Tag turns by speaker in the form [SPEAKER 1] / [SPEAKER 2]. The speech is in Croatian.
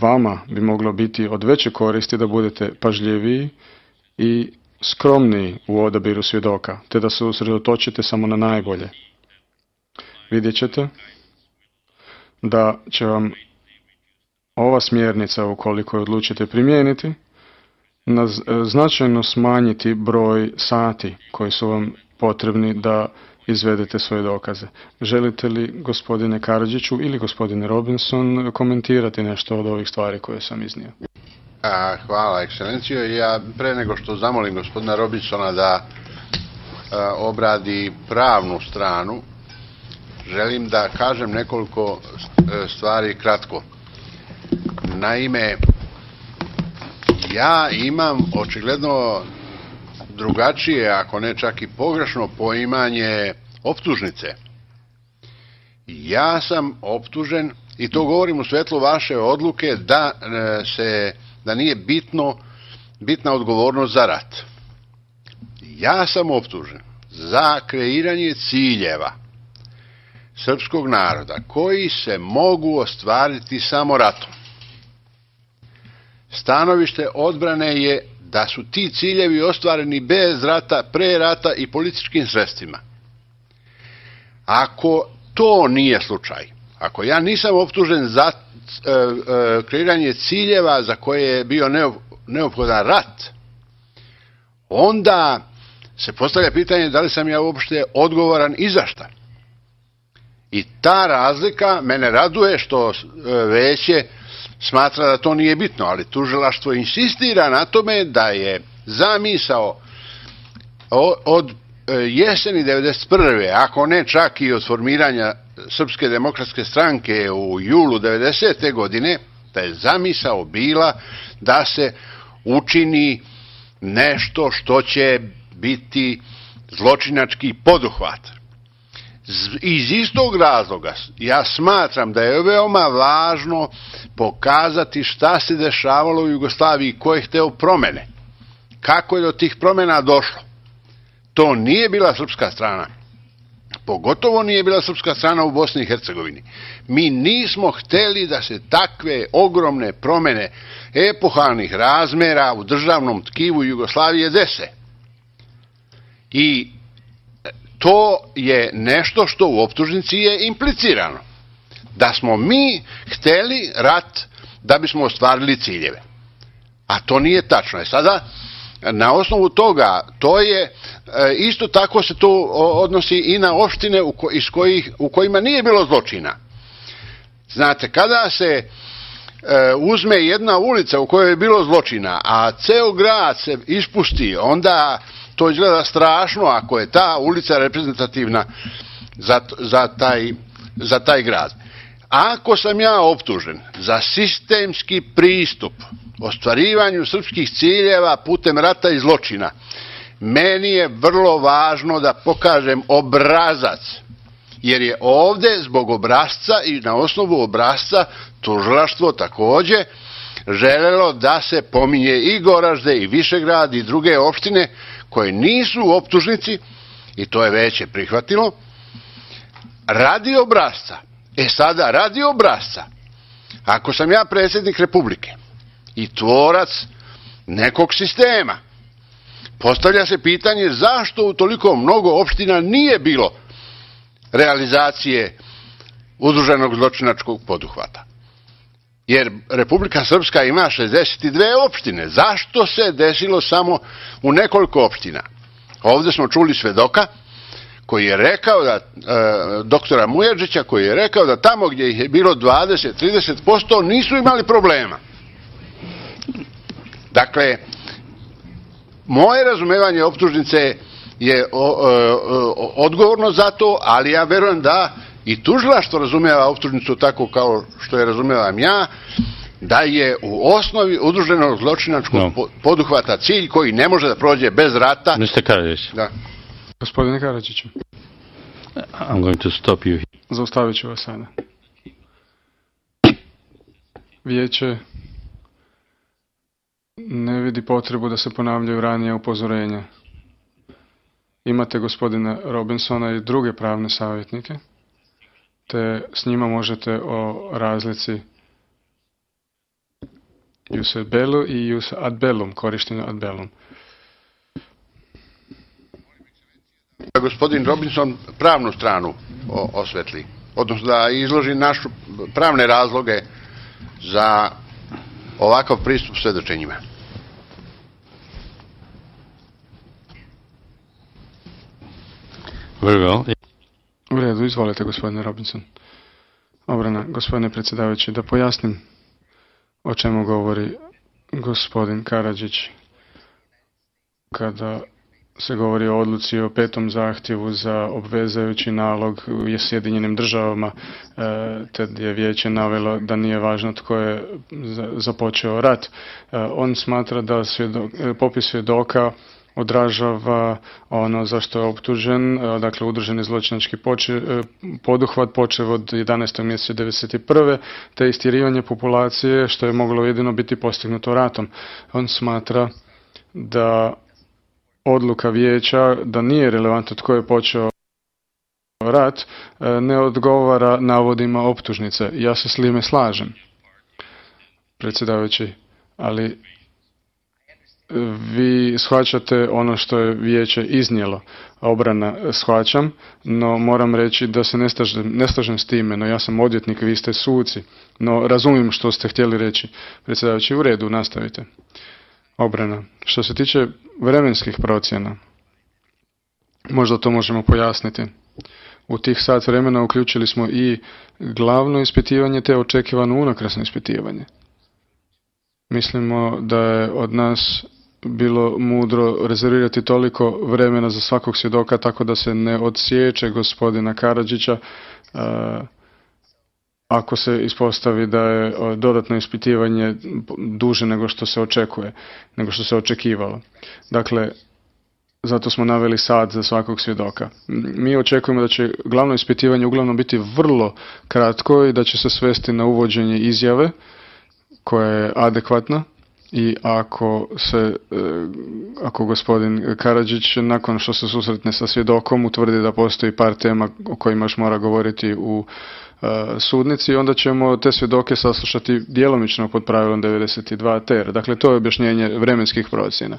[SPEAKER 1] vama bi moglo biti od veće koristi da budete pažljiviji i skromniji u odabiru svjedoka, te da se usredotočite samo na najbolje. Vidjet ćete da će vam ova smjernica, ukoliko je odlučite primijeniti, značajno smanjiti broj sati koji su vam potrebni da izvedete svoje dokaze. Želite li, gospodine Karadžiću ili gospodine Robinson, komentirati nešto od ovih stvari koje sam iznio?
[SPEAKER 2] Hvala, ekscelencijo. Ja pre nego što zamolim gospodina Robinsona da obradi pravnu stranu, želim da kažem nekoliko stvari kratko. Naime, ja imam očigledno drugačije, ako ne čak i pogrešno poimanje optužnice. Ja sam optužen, i to govorim u svetlu vaše odluke, da nije bitna odgovornost za rat. Ja sam optužen za kreiranje ciljeva srpskog naroda koji se mogu ostvariti samo ratom. Stanovište odbrane je da su ti ciljevi ostvareni bez rata, pre rata i političkim sredstvima. Ako to nije slučaj, ako ja nisam optužen za kreiranje ciljeva za koje je bio neophodan rat, onda se postavlja pitanje da li sam ja uopšte odgovoran i za šta. I ta razlika mene raduje što veće smatra da to nije bitno, ali tužilaštvo insistira na tome da je zamisao od jeseni 1991. ako ne čak i od formiranja Srpske demokratske stranke u julu 1990. godine, da je zamisao bila da se učini nešto što će biti zločinački poduhvat. Iz istog razloga ja smatram da je veoma važno pokazati šta se dešavalo u Jugoslaviji, ko je hteo promene, kako je do tih promena došlo. To nije bila srpska strana, pogotovo nije bila srpska strana u Bosni i Hercegovini. Mi nismo hteli da se takve ogromne promene epohalnih razmera u državnom tkivu Jugoslavije dese. I to je nešto što u optužnici je implicirano. Da smo mi hteli rat da bismo ostvarili ciljeve. A to nije tačno. Sada, na osnovu toga, to je, isto tako se to odnosi i na opštine u kojima nije bilo zločina. Znate, kada se uzme jedna ulica u kojoj je bilo zločina, a ceo grad se ispusti, onda to izgleda strašno ako je ta ulica reprezentativna za taj grad. Ako sam ja optužen za sistemski pristup ostvarivanju srpskih ciljeva putem rata i zločina, meni je vrlo važno da pokažem obrazac, jer je ovde zbog obrazca i na osnovu obrazca tužilaštvo takođe želelo da se pominje i Goražde i Višegrad i druge opštine koje nisu u optužnici, i to je veće prihvatilo, radi obrazca. Sada, radi obrazca, ako sam ja predsjednik Republike i tvorac nekog sistema, postavlja se pitanje zašto u toliko mnogo opština nije bilo realizacije udruženog zločinačkog poduhvata. Jer Republika Srpska ima 62 opštine. Zašto se desilo samo u nekoliko opština? Ovdje smo čuli svedoka koji je rekao da, doktora Mujađića, koji je rekao da tamo gdje ih je bilo 20-30% nisu imali problema. Dakle, moje razumevanje optužnice je odgovorno za to, ali ja verujem da i tužilaštvo razumeva optužnicu tako kao što je razumevam ja, da je u osnovi udruženog zločinačkog poduhvata cilj koji ne može da prođe bez rata.
[SPEAKER 3] Mr. Karadžić.
[SPEAKER 2] Da.
[SPEAKER 1] Gospodine Karadžiću.
[SPEAKER 3] I'm going to stop you.
[SPEAKER 1] Zaustavit ću vas sada. Vijeće ne vidi potrebu da se ponavljaju ranije upozorenja. Imate gospodina Robinsona i druge pravne savjetnike, te s njima možete o razlici Jus bellu i jus ad bellum, korištenju ad bellum.
[SPEAKER 2] Gospodin Robinson pravnu stranu osvetli, odnosno da izloži našu pravne razloge za ovakav pristup svedočenjima.
[SPEAKER 3] Very well.
[SPEAKER 1] U redu, izvolite gospodine Robinson. Obrana, gospodine predsjedavajući, da pojasnim o čemu govori gospodin Karadžić kada se govori o odluci o 5. zahtjevu za obvezajući nalog u Sjedinjenim državama, te je vijeće navelo da nije važno tko je započeo rat. On smatra da popis svjedoka odražava ono za što je optužen, dakle udruženi zločinački poduhvat počev od 11. mjeseca 1991. te istjerivanje populacije što je moglo jedino biti postignuto ratom. On smatra da odluka vijeća da nije relevantno tko je počeo rat ne odgovara navodima optužnice. Ja se s time slažem, predsjedavajući, ali vi shvaćate ono što je vijeće iznijelo. Obrana shvaćam, no moram reći da se ne slažem s time, no ja sam odvjetnik, vi ste suci, no razumijem što ste htjeli reći. Predsjedavajući, u redu, nastavite. Obrana, što se tiče vremenskih procjena, možda to možemo pojasniti. U tih sat vremena uključili smo i glavno ispitivanje te očekivano unakrsno ispitivanje. Mislimo da je od nas bilo mudro rezervirati toliko vremena za svakog svjedoka tako da se ne odsječe gospodina Karadžića ako se ispostavi da je dodatno ispitivanje duže nego što se očekuje, nego što se očekivalo. Dakle, zato smo naveli sat za svakog svjedoka. Mi očekujemo da će glavno ispitivanje uglavnom biti vrlo kratko i da će se svesti na uvođenje izjave koja je adekvatna i ako gospodin Karadžić nakon što se susretne sa svjedokom utvrdi da postoji par tema o kojima još mora govoriti u sudnici, onda ćemo te svjedoke saslušati djelomično pod pravilom 92 ter. Dakle, to je objašnjenje vremenskih procjena.